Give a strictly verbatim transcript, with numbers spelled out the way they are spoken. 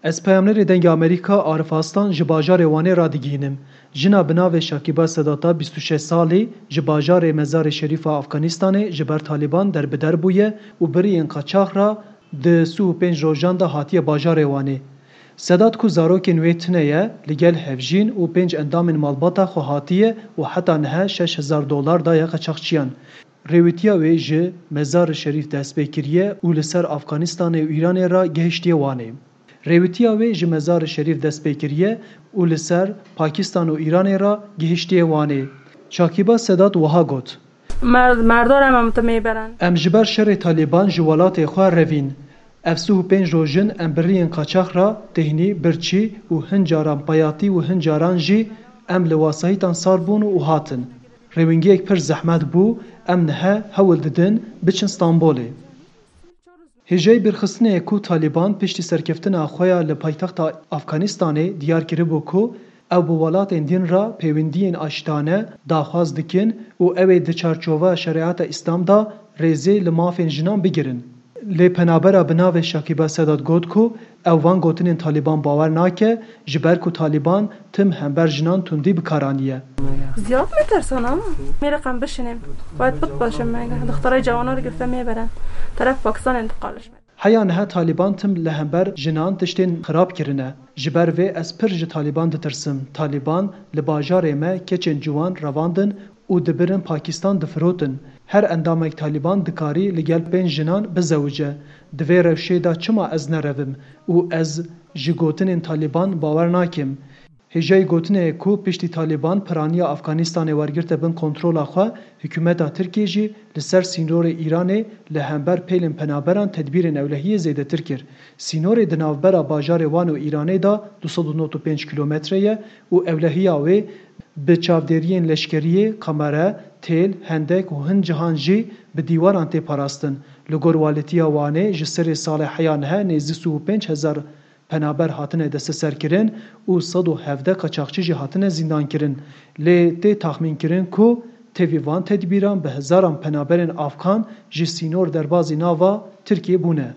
Ez peyamnerê Dengê Amerîka Arif Aslan ji bajarê Wanê radigihînim. Jina bi navê Şakîba Sedata bîst û şeş salî ji bajarê Mezarê Şerîf a Afganistanê ji ber Talîban derbider bûye û bi riyên qaçax re di sî û pênc rojan de hatiye bajarê Wanê. Sedat ku zarokên wê tune ye, li gel hevjîn û pênc endamên malbata xwe hatiye û heta niha şeş hezar dolar daye qaçaxçiyan. Rêwîtiya wê ji Mezar-i Şerîf dest pê kiriye û li ser Afganistanê û Îranê re gihiştiye Wanê. Rêwîtiya wê ji Mezar-i Şerîf dest pê kiriye û li ser Pakistan û Îranê re gihiştiye Wanê. Şakîba Sedat wiha got. Mer-, merdar em em te mêberen. Em ji ber şerê Talîban ji welatê xwe revîn. Ev sî û pênc roj in em bi riyên qaçax re têhnî, birçî û hin caran payatî û hin caran jî em li wasayîtan sar bûn û hatin. Rêwingiyek pir zehmet bû, em niha hewl didin biçin Stenbolê. Hêjayî bîrxistinê ye ku Talîban piştî serkeftina xwe ya li paytexta Afganistanê diyar kiribû ku ew bi welatên din re pêwendiyên aştane daxwaz dikin û ew ê di çarçova şerîeta Îslam de rêzê li mafên jinan bigirin. Lê penabera bi navê Şakîba Sedat got ku ew van gotinên Talîban bawer nake, ji ber ku Talîban tim hember jinan tundî bi kar aniye. Ziyad metirsin ama. Mêrek em bişinên. Bayet bit başim me. Dixtarê cawanan girifte mêberen. Teref Pakistanê intiqal ji me. Heya niha Talîban tim li hember jinan tiştên xirab kirine. Ji ber vê ez pir ji Talîban ditirsim. Talîban li bajarê me keçên ciwan revandin û dibirin Pakistan difirotin. Her endamek Talîban dikarî li gel pênc jinan bizewice. Di vê rewşê de çima ez nerevim û ez ji gotinên Talîban bawer nakim? Hêjayî gotinê ye ku piştî Talîban piraniya Afganistanê wergirte bin kontrola xwe, hikûmeta Tirkiyê jî li ser sînorê Îranê li hember pêlên penaberan tedbîrên ewlehiyê zêdetir kir. Sînorê di navbera bajarê Wan û Îranê de du sed û nod û pênc kîlometre ye û ewlehiya wê bi çavdêriyên leşkeriyê, kamere, têl, hendek û hin cihan jî bi dîwaran tê parastin. Li gor Walîtiya Wanê ji serê salê heya niha nêzî sî û pênc hezar penaber hatine desteserkirin û sed û hevdeh qaçaxçî jî hatine zîndankirin. Lê tê taxmînkirin ku tevî van tedbîran bi hezaran penaberên Afgan ji sînor derbazî nava Tirkiyê bûne.